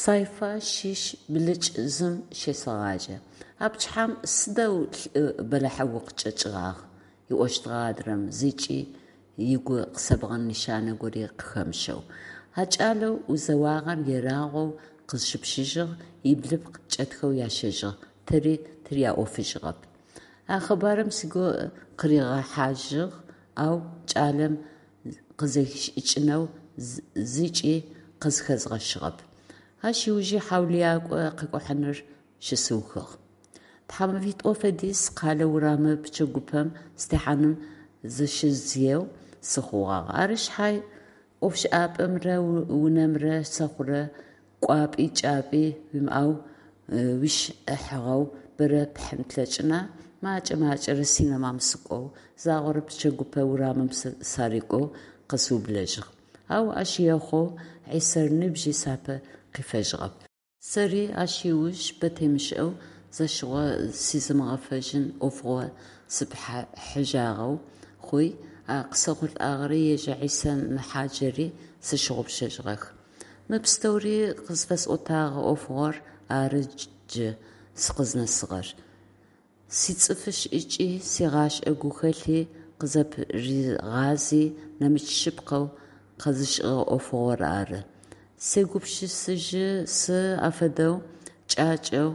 Сайфа щыщ блыкӏ зым щесэгъаджэ. А пчыхьэм сыдэу лӏы бэлахьэу укъычӏэкӏыгъагъ, ыӏощтыгъэ адрэм, зыкӏи ыгу къысэбгъэн нэшанэ гори къыхэмыщэу. А кӏалэу узэуагъэр ерагъоу къызщыпшыжьыгъ, иблыпкъ кӏэтхэу ящэжьыгъ, тэри тыряӏофыжьыгъэп. А къэбарым сыгу къыригъэхьажьыгъ, ау кӏалэм къызэхишӏыкӏынэу зыкӏи къызхэзгъэщыгъэп. Ащ ыужи хьаулыякӏо къэкӏухьаныр щысыухыгъ. Тхьамэфитӏо фэдиз къэлэ урамы пчэгупэм сытехьаным зыщыздзыеу сыхъугъагъ. Ары шъхьай ӏофшӏапӏэмрэ унэмрэ сэхъурэ кӏуапӏи кӏапӏи уимыӏэу уишӏыхьагъэу бэрэ пхьын плъэкӏына? Макӏэ-макӏэрэ синэмам сыкӏоу, загъорэ пчэгупэ урамым сарыкӏоу къэсыублэжьыгъ. Ау ащ ехъоу Хьисэр ныбжьи сапэ къифэжьыгъэп. Сэри ащ ыуж бэ темышӏэу зэщыгъо сизымыгъэфэжьын ӏофыгъо сыпыхьажьыгъэу хъуи, а къысэхъулӏагъэри ежь Хьисэ мэхъаджэри сщыгъупшэжьыгъэх. Мы пстэури къызфэсӏотагъэ ӏофыгъор ары джы сыкъызнэсыгъэр. Сицӏыфы шӏыкӏи, сигъашӏэ гухэлъи къызэпыригъази, нэмыкӏ шъыпкъэу къэзышӏыгъэ ӏофыгъор ары. Сегупшысэжьы сы афэдэу кӏакӏэу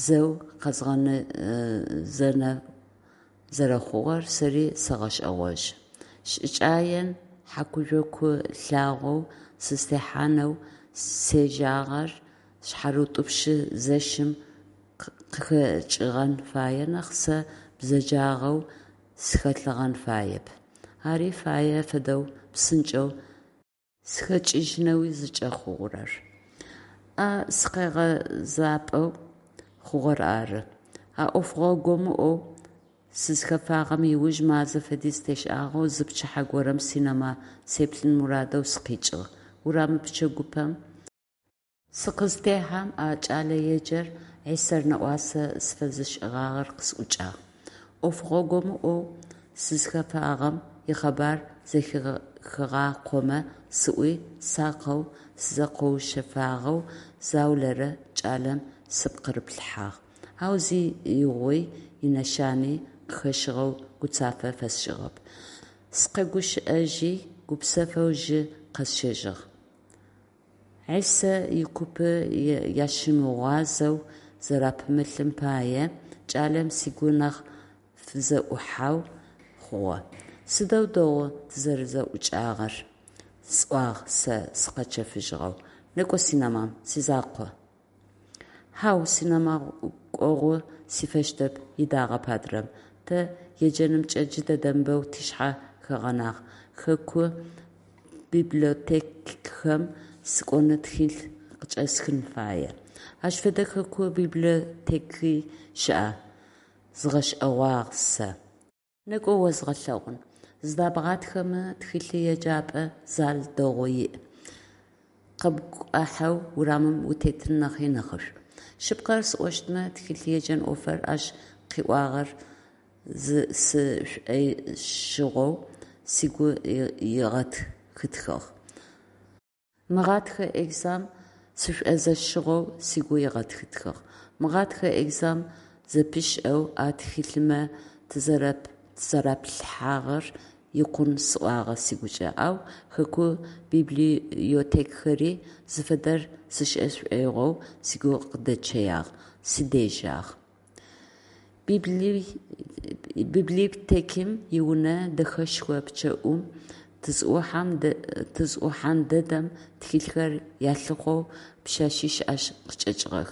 зэу къэзгъэзэнэу зэрэхъугъэр сэри сэгъэшӏэгъожьы. Шӏыкӏаен хьакӏужъоку лъагъоу сызтехьанэу зежьагъэр шъхьарытӏупщы зэщым къыхэкӏыгъэн фае нахь сэ бзэджагъэу схэлъыгъэн фаеп. Ари фае фэдэу псынкӏэу сыхэкӏыжьынэуи зыкӏэхъугъэр. А сыкъегъэзапӏэу хъугъэр ары. А ӏофыгъо гомыӏоу сызхэфагъэм ыуж мазэ фэдиз тешӏагъэу зы пчыхьэ горэм синэма сеплъын мурадэу сыкъикӏыгъ. Урамы пчэгупэм сыкъызтехьэм а кӏэлэеджэр Хьисэр нэӏуасэ сыфэзышӏыгъагъэр къысӏукӏагъ. Ӏофыгъо гомыӏоу сызхэфагъэм икъэбар зэхихыгъакъомэ сӏуи, сакъэу сызэкъоушъэфагъэу заулэрэ кӏалэм сыпкъырыплъыхьагъ, ау зи игъуи инэшани къыхэщыгъэу гуцафэ фэсшӏыгъэп. Сыкъэгущыӏэжьи, гупсэфэу жьы къэсщэжьыгъ. Хьисэ икупы ящымыгъуазэу зэрапымылъым пае кӏалэм сыгу нахь фызэӏухьэу хъугъэ. Сыдэу дэгъу тызэрэзэӏукӏагъэр, сӏуагъ сэ сыкъэчэфыжьыгъэу. Некӏо синэмам, сизакъо. Хьау, синэма кӏогъу сифэщтэп, ыдагъэп адрэм. Тэ еджэнымкӏэ джыдэдэм бэу тшъхьэ хэгъэнагъ, хэку библиотекхэм сыкӏоны тхылъ къычӏэсхын фае. Ащ фэдэ хэку библиотеки щыӏа? Згъэшӏэгъуагъ сэ. Некӏо озгъэлъэгъун. Зыдэбгъатхэмэ тхылъ еджапӏэ зал дэгъу иӏ. Къэпкӏухьэу урамым утетын нахьи нахьышӏу. Шъыпкъэр сӏощтмэ, тхылъ еджэн ӏофыр ащ къыӏуагъэр сшӏошӏыгъэу сыгу ыгъэтхытхыгъ. Мыгъатхэ экзам сышӏуезэщыгъэу сыгу ыгъэтхытхыгъ. Мыгъатхэ экзам зэпышӏэу а тхылъымэ тызэраплъыхьагъэр икъун сӏуагъэ сыгукӏэ, ау хэку библиотекхэри зыфэдэр сшӏэ сшӏоигъоу сыгу къыдэчъэягъ, сыдежьагъ. Библиотекым иунэ дэхэшхо пчъэӏум тызӏухьан дэдэм тхылъхэр ялъыхъоу пшъэшъищ ащ къычӏэкӏыгъэх.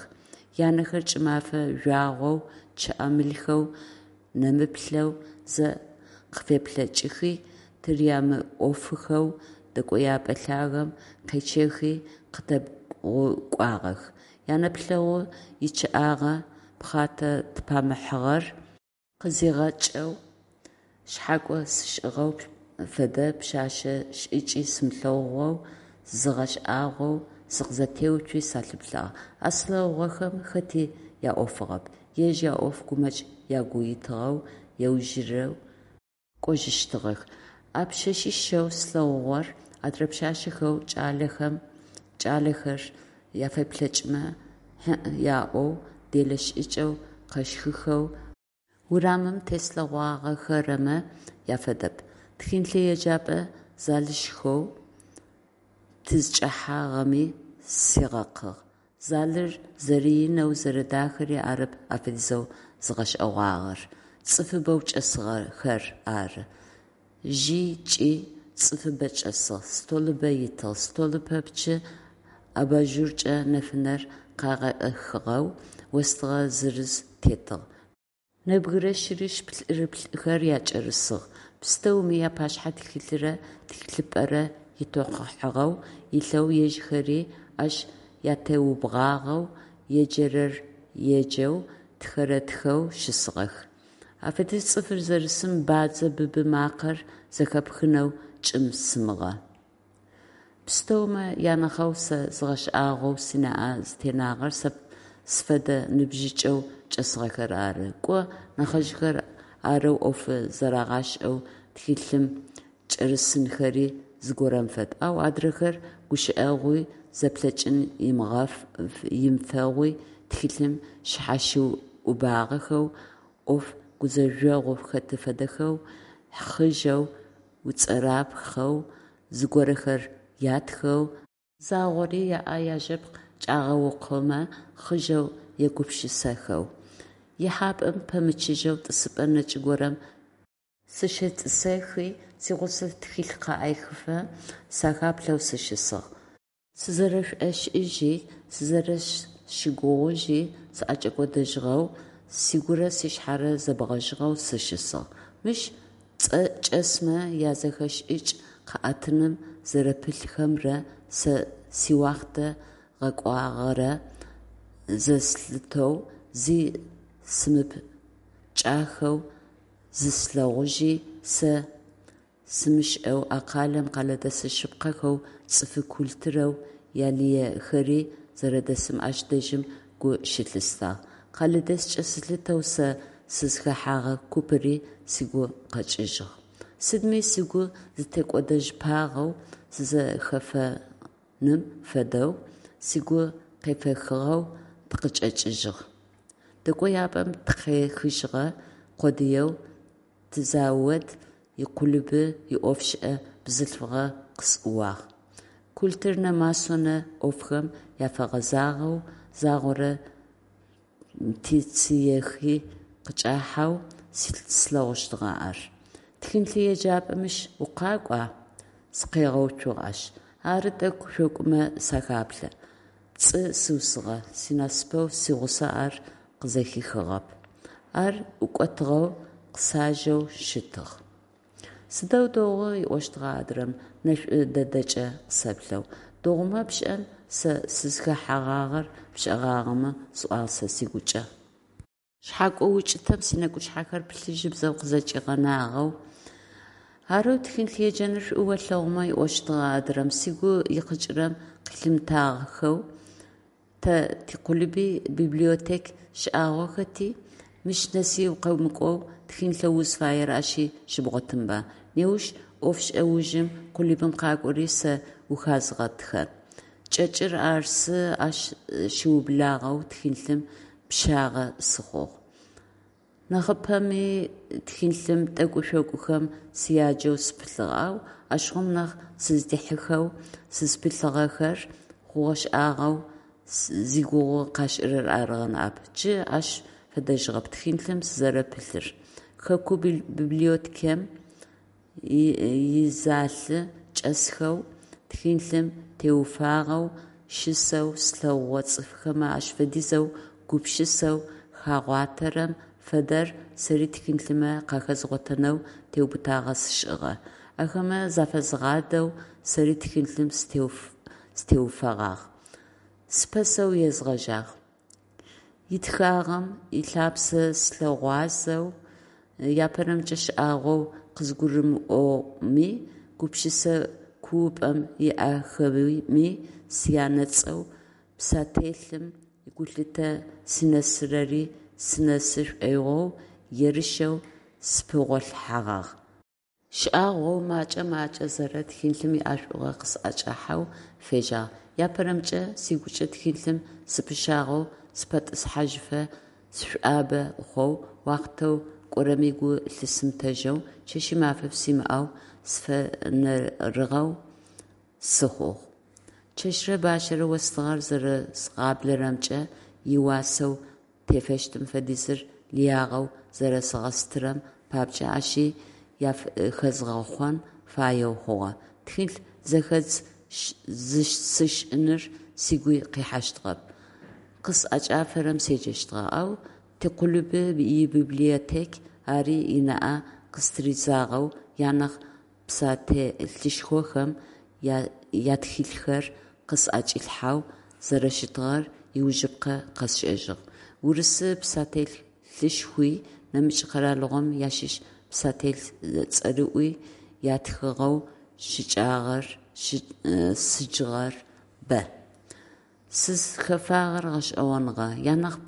Янэхэр кӏымэфэ жъуагъоу, чъыӏэмылхэу нэмыплъэу зэ къыфеплъэкӏыхи, тырямыӏофыхэу дэкӏояпӏэ лъагэм къечъэхи къытэбгъукӏуагъэх. Янэплъэгъу ичъыӏагъэ пхъатэ тыпамыхьыгъэр къызигъэкӏэу, шъхьакӏо сшӏыгъэу фэдэ пшъашъэ шӏыкӏи сымылъэгъугъэу згъэшӏагъоу сыкъызэтеуцуи салъыплъагъ. А слъэгъугъэхэм хэти яӏофыгъэп, ежь яӏоф гумэкӏ агу итыгъэу ежьужьэу кӏожьыщтыгъэх. А пшъэшъищэу слъэгъугъэр адрэ пшъашъэхэу кӏалэхэр. яфеплъэкӏмэ хьы-ӏ яӏоу, делэ шӏыкӏэу къэщхыхэу урамым теслъэгъуагъэхэрэмэ яфэдэп. Тхылъеджапӏэ залышхоу тызчӏэхьагъэми сигъэкъыгъ. Залыр зэрэинэу, зэрэдахэри арэп афэдизэу згъэшӏэгъуагъэр, цӏыфыбэу чӏэсыгъэхэр ары. Жъи кӏи цӏыфыбэ чӏэсыгъ, столыбэ итыгъ, столы пэпчъы абажуркӏэ нэфынэр къягъэхыгъэу остыгъэ зырыз тетыгъ, нэбгырэ щырыщ-плӏырыплӏыхэр акӏэрысыгъ, пстэуми апашъхьэ тхылъырэ тхылъыпӏэрэ итэкъухьагъэу илъэу, ежьхэри ащ атеубгъуагъэу, еджэрэр еджэу, тхэрэр тхэу щысыгъэх. Афэдиз цӏыфыр зэрысым бадзэ быбы макъэр зэхэпхынэу кӏым-сымыгъэ. Пстэумэ анахьэу сэ згъэшӏагъоу сынаӏэ зытенагъэр сэ сфэдэ ныбжьыкӏэу чӏэсыгъэхэр ары. Кӏо, нахьыжъхэр арэу ӏофы зарагъашӏэу тхылъым кӏэрысынхэри зыгорэм фэд, ау адрэхэр гущыӏэгъуи, зэплъэкӏын имыфэгъуи тхылъым шъхьащыӏубагъэхэу, ӏоф гузэжъогъу хэты фэдэхэу, хъыжъэу, уцӏэрапхъэу зыгорэхэр ятхэу, загъори аӏэ яжэпкъ кӏагъэукъомэ хъыжъэу егупшысэхэу. Ихьапӏэм пэмычыжьэу тӏысыпӏэ нэкӏ горэм сыщетӏысэхи, сигъусэ тхылъ къыӏехыфэ сыхаплъэу сыщысыгъ. Сызэрэшӏошӏыжьи, сызэрэсщыгугъыжьи сӏэкӏэкӏодэжьыгъэу, сыгурэ сшъхьэрэ зэбгъэжьыгъэу сыщысыгъ. Мыщ чӏэсмэ язэхэшӏыкӏ къаӏэтыным зэрэпылъхэмрэ сэ сиуахътэ гъэкӏуагъэрэ зэслъытэу, зи сымыпкӏахэу зыслъэгъужьи, сэ сымышӏэу а къалэм къэлэдэс шъыпкъэхэу цӏыфы культурэу ялыехэри зэрэдэсым ащ дэжьым гу щылъыстагъ. Къэлэдэскӏэ сылъытэу сэ сызхэхьэгъэ купыри сыгу къэкӏыжьыгъ. Сыдми сыгу зытекӏодэжьыпагъэу, сызэхэфэным фэдэу, сыгу къефэхыгъэу тыкъычӏэкӏыжьыгъ. Дэкӏояпӏэм тыкъехыжьыгъэ къодыеу тизавод икъулыбы иӏофышӏэ бзылъфыгъэ къысӏууагъ. Культурнэ-масонэ ӏофхэм афэгъэзагъэу, загъорэ тицехи къычӏахьэу слъэгъущтыгъэ ар. «Тхылъеджапӏэ мыщ укъакӏуа?» Сыкъигъэуцугъ ащ. «Ары, тӏэкӏу-шъокӏумэ сахаплъэ», – пцӏы сыусыгъэ, синасыпэу сигъусэ ар къызэхихыгъэп. Ар ӏукӏотыгъэу, къысажэу щытыгъ. «Сыдэу дэгъу, – ыӏощтыгъэ адрэм, нэшӏу дэдэкӏэ къысэплъэу. – Дэгъумэ пшӏэн, сэ сызхэхьэгъагъэр пшӏэгъагъэмэ, – сӏуагъ сэ сыгукӏэ. Шъхьэкӏо укӏытэм сынэкӏушъхьэхэр плъыжьыбзэу къызэкӏигъэнагъэу. «Арэу тхылъеджэныр шӏу олъэгъумэ, – ыӏощтыгъэ адрэм, сыгу икъыкӏырэм къылъимытахэу, – тэ тикъулыби библиотек шӏагъохэти, мыщ нэси укъэмыкӏоу тхылъэу узфаер ащи щыбгъотынба. Неущ ӏофшӏэ ужым къулыбым къакӏори сэ ухязгъэтхэн». Кӏэкӏыр арсы, ащ щыублагъэу тхылъым пыщагъэ сыхъугъ. Нахьыпэми тхылъым тӏэкӏу-шъокӏухэм сяджэу сыпылъыгъ, ау ащыгъум нахь сыздихьыхэу сызпылъыгъэхэр хъугъэ-шӏагъэу зигугъу къашӏырэр арыгъэ ныӏэп. Джы ащ фэдэжьыгъэп тхылъым сызэрэпылъыр. Хэку библиотекэм изалы чӏэсхэу, тхылъым теуфагъэу щысэу слъэгъугъэ цӏыфхэмэ ащ фэдизэу гупшысэу хагъуатэрэм фэдэр сэри тхылъымэ къахэзгъотэнэу теубытагъэ сшӏыгъэ. Ахэмэ зафэзгъадэу сэри тхылъым сытеуфэгъагъ. Сыпэсэу езгъэжьагъ. Итхагъэм ылъапсэ сылъыгъуазэу, апэрэмкӏэ шӏагъоу къызгурымыӏоми, гупшысэ куупӏэм иӏэхэми сянэцӏэу, писателым игулъытэ синэсырэри сынэсы шӏоигъоу ерышэу сыпыгъолъхьэгъагъ. Шӏагъоу, макӏэ-макӏэзэрэ тхылъым иӏэшӏугъэ къысӏэкӏахьэу, фежьагъ. Апэрэмкӏэ, сыгукӏэ тхылъым сыпыщагъэу, сыпэтӏысхьажьыфэ сшӏуабэ хъоу, уахътэу кӏорэми гу лъысымытэжьэу, чэщи мафи симыӏэу сыфэнэрыгъэу сыхъугъ. Чэщырэ бащэрэ остыгъэр зэрэзгъаблэрэмкӏэ иуасэу тефэщтым фэдизыр лыягъэу зэрэзгъэстырэм папкӏэ ащи хэзгъэхъон фаеу хъугъэ. Тхылъ зэхэдз сшӏыныр сыгуи къихьэщтыгъэп, къысӏэкӏафэрэм седжэщтыгъэ, ау тиклубы ибиблиотек ари ынаӏэ къыстыридзагъэу, янахь писателышхохэм ятхылъхэр къысӏэкӏилъхьэу зэрэщытыгъэр иужьыпкъэ къэсшӏэжьыгъ. Урысы писателышхуи, нэмыкӏ къэралыгъомэ ащыщ писатель цӏэрыӏуи ятхыгъэу сыджыгъэр бэ. Сызхэфагъэр гъэшӏэгъоныгъэ: янахь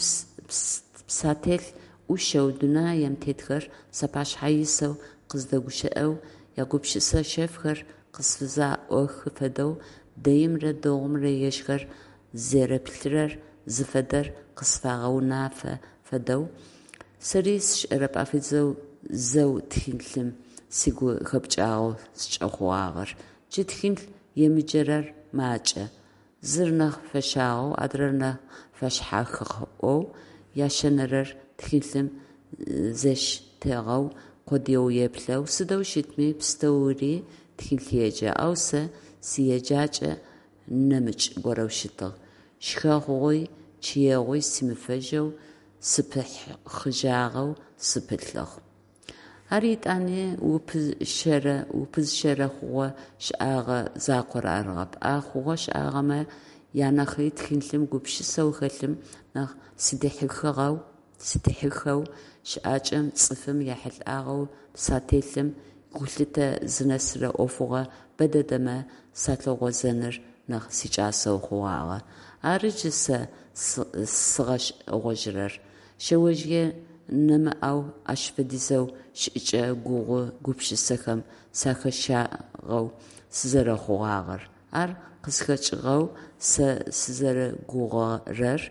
писатель ӏушэу дунаем тетхэр сапашъхьэ исэу къыздэгущыӏэу, ягупшысэ шъэфхэр къысфызэӏуахы фэдэу, дэимрэ дэгъумрэ ежьхэр зэреплъырэр зыфэдэр къысфагъэнафэ фэдэу, сэри сшӏэрэп ащ фэдизэу зэу тхылъым сыгу хэпкӏагъэу зыкӏэхъугъагъэр. Джы тхылъ емыджэрэр макӏэ: зыр нахь фэщагъэу, адрэр нахь фэшъхьахыгъэу, ящэнэрэр тхылъым зештэгъэ къодыеу еплъэу, сыдэу щытми, пстэури тхылъ еджэ, ау сэ сиеджакӏэ нэмыкӏ горэу щытыгъ: шхэгъуи чъыегъуи симыфэжьэу, сыпыхъыжьагъэу сыпылъыгъ. Ар етӏани упызыщэрэ хъугъэ-шӏэгъэ закъор арыгъэп, а хъугъэ-шӏагъэмэ янахьи тхылъым гупшысэу хэлъым нахь сыдихьыхэу, щыӏакӏэм, цӏыфым яхьылӏагъэу писателым игулъытэ зынэсырэ ӏофыгъо бэдэдэмэ салъыгъозэныр нахь сикӏасэу хъугъагъэ. Ары джы сэ сзыгъэшӏэгъожьырэр: шъэожъые нэмыӏэу ащ фэдизэу шӏыкӏэ гугъу гупшысэхэм сахэщагъэу сызэрэхъугъагъэр. Ар къызхэкӏыгъэу сэ сызэрэгугъэрэр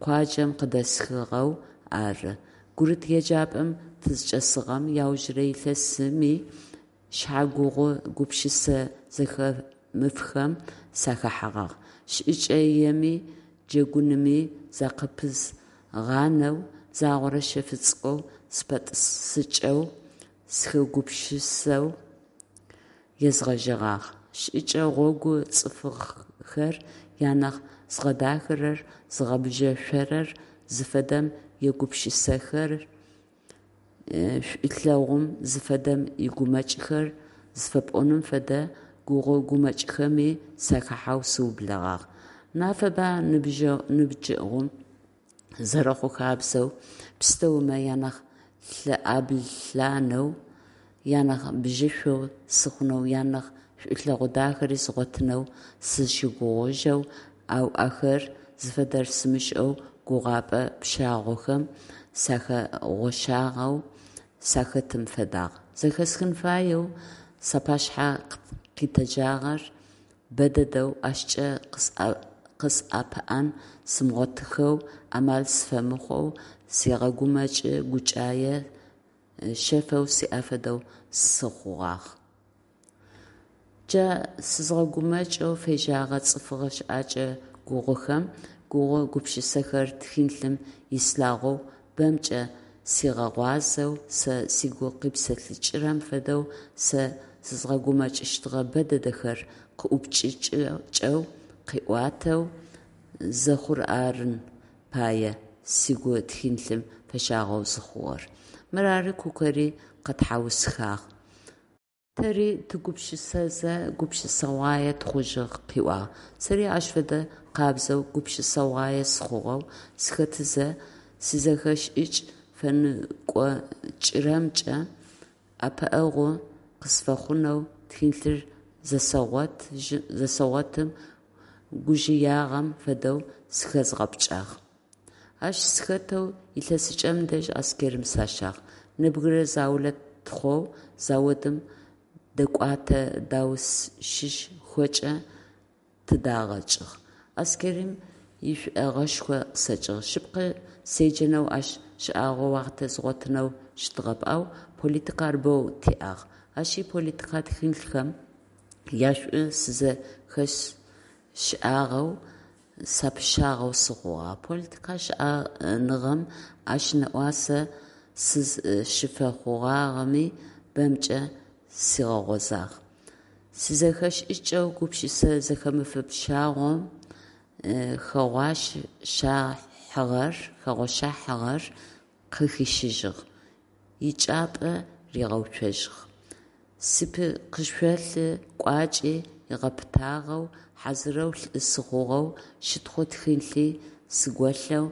къуаджэм къыдэсхыгъэу ары: гурыт еджапӏэм тызчӏэсыгъэм иаужырэ илъэсыми шъхьэгугъу гупшысэ зэхэмыфхэм сахэхьэгъагъ, шӏыкӏаеми джэгуными закъыпызгъанэу, загъорэ шъэфы цӏыкӏоу сыпэтӏысыкӏэу, сыхэгупшысэу езгъэжьэгъагъ, шӏыкӏэ гъогу цӏыфхэр янахь зыгъэдахэрэр, зыгъэбжьышӏорэр зыфэдэм егупшысэхэр, шӏулъэгъум зыфэдэм игумэкӏхэр зыфэпӏоным фэдэ гугъу-гумэкӏхэми сахахьэу сыублэгъагъ. Нафэба ныбджэгъум зэрэхъу хабзэу, пстэумэ янахь лӏыбланэу, янахь бжьышӏоу сыхъунэу, янахь шӏулъэгъу дахэри згъотынэу сызщыгугъыжьэу, ау ахэр зыфэдэр сымышӏэу гугъэпӏэ пщагъохэм сахэгъощагъэу сахэтым фэдагъ. Зэхэсхын фаеу сапашъхьэ къитэджагъэр бэдэдэу, ащкӏэ къысӏэпыӏэн сымыгъотыхэу, амал сфэмыхъоу сегъэгумэкӏы, гукӏае шъэфэу сиӏэ фэдэу сыхъугъагъ. Джа сызгъэгумэкӏэу фежьэгъэ цӏыфыгъэ щыӏэкӏэ гугъухэм гугъу гупшысэхэр тхылъым ислъагъоу, бэмкӏэ сигъэгъуазэу, сэ сыгу къипсэлъыкӏырэм фэдэу сэ сызгъэгумэкӏыщтыгъэ бэ дэдэхэр къыӏупкӏэу къыӏуатэу зэхъур арын фае сыгу тхылъым фэщагъэу зыхъугъэр. Мырары Кукэри къэтхьаусхагъ, тэри тыгупшысэзэ гупшысэгъуае тыхъужьыгъ къыӏуагъ. Сэри ащ фэдэ къабзэу гупшысэгъуае сыхъугъэу сыхэтызэ, сизэхэшӏыкӏ фэныкъокӏырэмкӏэ ӏэпыӏэгъу къысфэхъунэу тхылъыр зэсэгъотым гужъыягъэм фэдэу зыхэзгъэпкӏагъ. Ащ сыхэтэу илъэсыкӏэм дэжь Аскэрым сащагъ. Нэбгырэ заулэ тыхъоу заводым дэкӏотэ даушышхокӏэ. Тыдагъэкӏыгъ. Аскэрым ишӏогъэшхо къысэкӏыгъ. Шъыпкъэ, седжэнэу ащ шӏагъоу уахътэ згъотынэу щытыгъэп, ау политикэр бэу тиӏагъ. Ащ иполитикэ тхылъхэм яшӏу сызэхэсшӏагъэу, сапыщагъэу сыхъугъагъ. Политикэ шӏэныгъэм ащ нэӏуасэ сызщыфэхъугъагъэми бэмкӏэ сигъэгъозагъ. Сизэхэшӏыкӏэу гупшысэ зэхэмыф пщагъом хэгъощахьыгъэр къыхищыжьыгъ, ичӏыпӏэ ригъэуцожьыгъ. Спкъышъолъы кӏуачӏи ыгъэпытагъэу, хьазырэу лӏы сыхъугъэу, щытхъу тхылъи сголъэу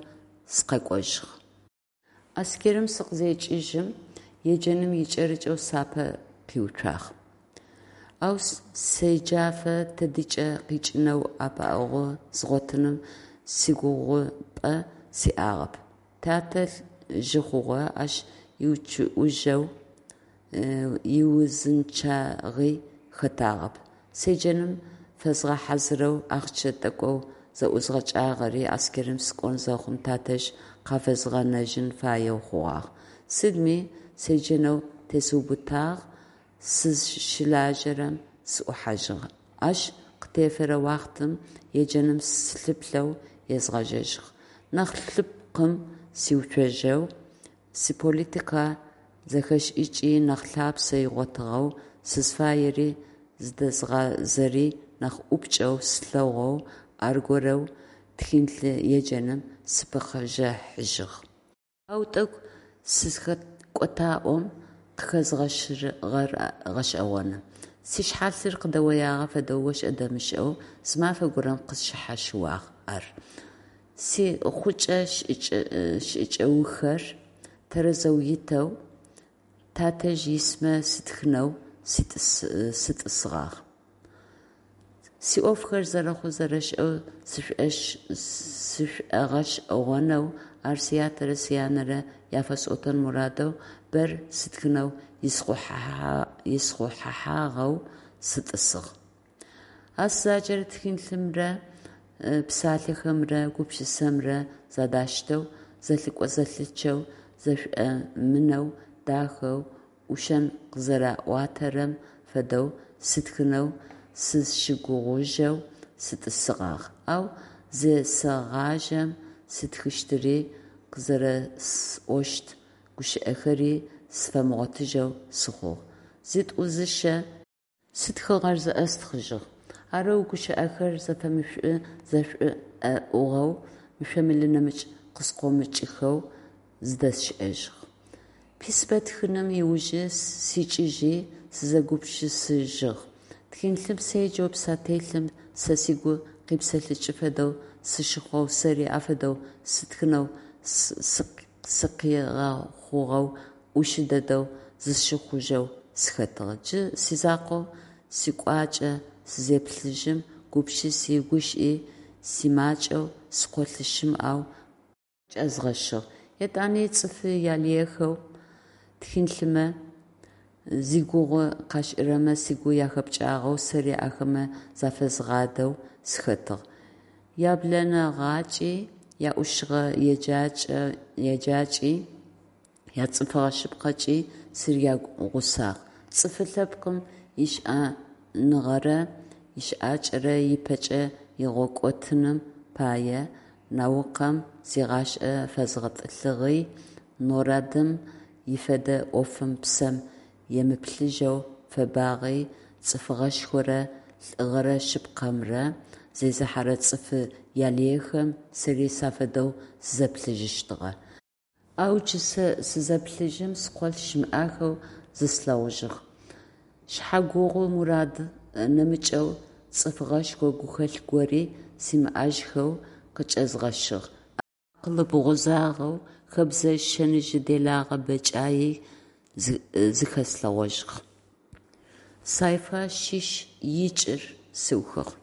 сыкъэкӏожьыгъ. Аскэрым сыкъызекӏыжьым, еджэным икӏэрыкӏэу сапэ къиуцуагъ. Ау седжэфэ тыдикӏи къикӏынэу ӏэпыӏэгъу згъотыным сигугъупӏэ сиӏагъэп. Тятэ жъы хъугъэ, ащ иучъыӏужьэу иузынчъагъи хэтагъэп. Седжэным фэзгъэхьазырэу ахъщэ тӏэкӏоу зэӏузгъэкӏагъэри аскэрым сыкӏон зэхъум тадэжь къафэзгъэнэжьын фаеу хъугъагъ. Сыдми седжэнэу тесыубытагъ, сызщылажьэрэм сыӏухьажьыгъ. Ащ къытефэрэ уахътэм еджэным сылъыплъэу езгъэжьэжьыгъ. Нахь лъыпкъым сиуцожьэу, сиполитикэ зэхэшӏыкӏи нахь лъапсэ игъотыгъэу, сызфаери зыдэзгъазэри нахь ӏупкӏэу слъэгъоу аргорэу тхылъ еджэным сыпыхъэжьыгъ. Ау тӏэкӏу сызхэкӏотаӏом къыхэзгъэщыгъэр гъэшӏэгъоны. Сишъхьалъыр къыдэоягъэ фэдэу ошӏэ-дэмышӏэу зы мафэ горэм къысшъхьащыуагъ ар. Сихъукӏэ-шӏыкӏэухэр тэрэзэу итэу, тадэжь исмэ сытхэнэу сытӏысыгъагъ. Сиӏофхэр зэрэхъу-зэрэшӏэу сшӏогъэшӏэгъонэу, ар сятэрэ сянэрэ яфэсӏотэн мурадэу бэр стхынэу исхъухьагъэу сытӏысыгъ. А сызаджэрэ тхылъымрэ псалъэхэмрэ гупшысэмрэ зэдаштэу, зэлъыкӏо-зэлъычъэу, зэшӏомынэу, дахэу, ӏушым къызэрэӏуатэрэм фэдэу сытхынэу сызщыгугъыжьэу сытӏысыгъагъ, ау зесэгъажьэм стхыщтыри къызэрэсӏощт гущыӏэхэри сфэмыгъотыжьэу сыхъугъ. Зытӏу-зыщэ сытхыгъэр зэӏэстхъыжьыгъ. Арэу гущыӏэхэр зэфэмышӏу-зэшӏоӏугъэу, мышъо-мылы нэмыкӏ къыскъомыкӏыхэу зыдэсшӏэжьыгъ. Письмэ тхыным ыужы сикӏыжьи сызэгупшысыжьыгъ. Тхылъым седжэу писателым сэ сыгу къипсэлъыкӏы фэдэу сыщыхъоу, сэри афэдэу сытхэнэу сыкъигъэхъугъэу, ӏушы дэдэу зысщыхъужьэу сыхэтыгъ. Джы сизакъоу сикӏуачӏэ сызеплъыжьым, гупшыси, гущыӏи симакӏэу, скъолъ щымыӏэу къычӏэзгъэщыгъ. Етӏани цӏыфы ялыехэу тхылъымэ зигугъу къашӏырэмэ сыгу яхэпкӏагъэу, сэри ахэмэ зафэзгъадэу сыхэтыгъ. Яблэнэгъакӏи, яӏушыгъэ еджакӏи, яцӏыфыгъэ шъыпкъэкӏи сырягъусагъ. Цӏыфы лъэпкъым ищыӏэныгъэрэ ищыӏакӏэрэ ыпэкӏэ лъигъэкӏотэным пае наукэм зигъашӏэ фэзгъэтӏылъыгъи, НОРАД-м ифедэ ӏофым псэм емыплъыжьэу фэбагъи, цӏыфыгъэшхорэ лӏыгъэрэ шъыпкъэмрэ зезыхьэрэ цӏыфы ялыехэм сэри сафэдэу сызэплъыжьыщтыгъэ. Ау джы сэ сызэплъыжьым скъолъ щымыӏахэу зыслъэгъужьыгъ. Шъхьэгугъу мурад нэмыкӏэу цӏыф гъэшхо гухэлъ гори симыӏэжьхэу къычӏэзгъэщыгъ. Акъылы бгъузагъэу, хэбзэжъ шэныжъы делагъэ бэкӏаий зыхэслъэгъожьыгъ. Сайфа щыщ икӏыр сыухыгъ.